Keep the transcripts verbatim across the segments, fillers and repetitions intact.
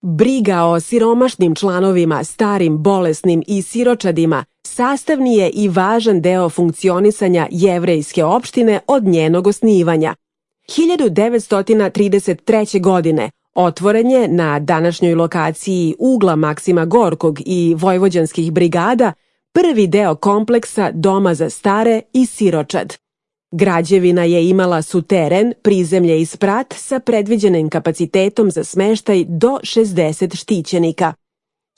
Briga o siromašnim članovima, starim, bolesnim i siročadima sastavni je i važan deo funkcionisanja jevrejske opštine od njenog osnivanja. hiljadu devetsto trideset treće. godine otvoren je na današnjoj lokaciji ugla Maksima Gorkog i vojvođanskih brigada prvi deo kompleksa Doma za stare i siročad. Građevina je imala suteren, prizemlje i sprat sa predviđenim kapacitetom za smeštaj do šezdeset štićenika.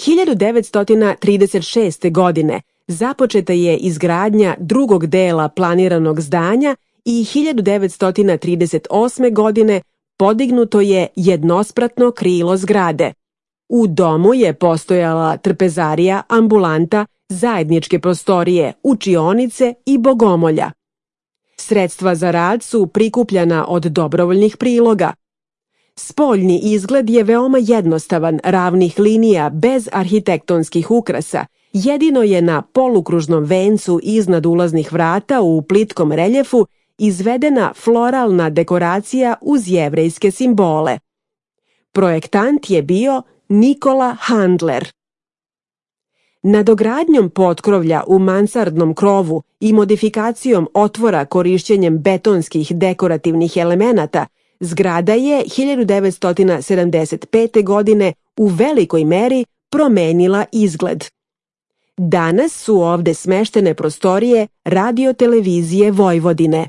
hiljadu devetsto trideset šeste. godine započeta je izgradnja drugog dela planiranog zdanja i hiljadu devetsto trideset osme. godine podignuto je jednospratno krilo zgrade. U domu je postojala trpezarija, ambulanta, zajedničke prostorije, učionice i bogomolja. Sredstva za rad su prikupljana od dobrovoljnih priloga. Spoljni izgled je veoma jednostavan, ravnih linija bez arhitektonskih ukrasa. Jedino je na polukružnom vencu iznad ulaznih vrata u plitkom reljefu izvedena floralna dekoracija uz jevrejske simbole. Projektant je bio Nikola Handler. Nadogradnjom potkrovlja u mansardnom krovu i modifikacijom otvora korišćenjem betonskih dekorativnih elemenata, zgrada je hiljadu devetsto sedamdeset pete. godine u velikoj meri promenila izgled. Danas su ovde smeštene prostorije Radio-televizije Vojvodine.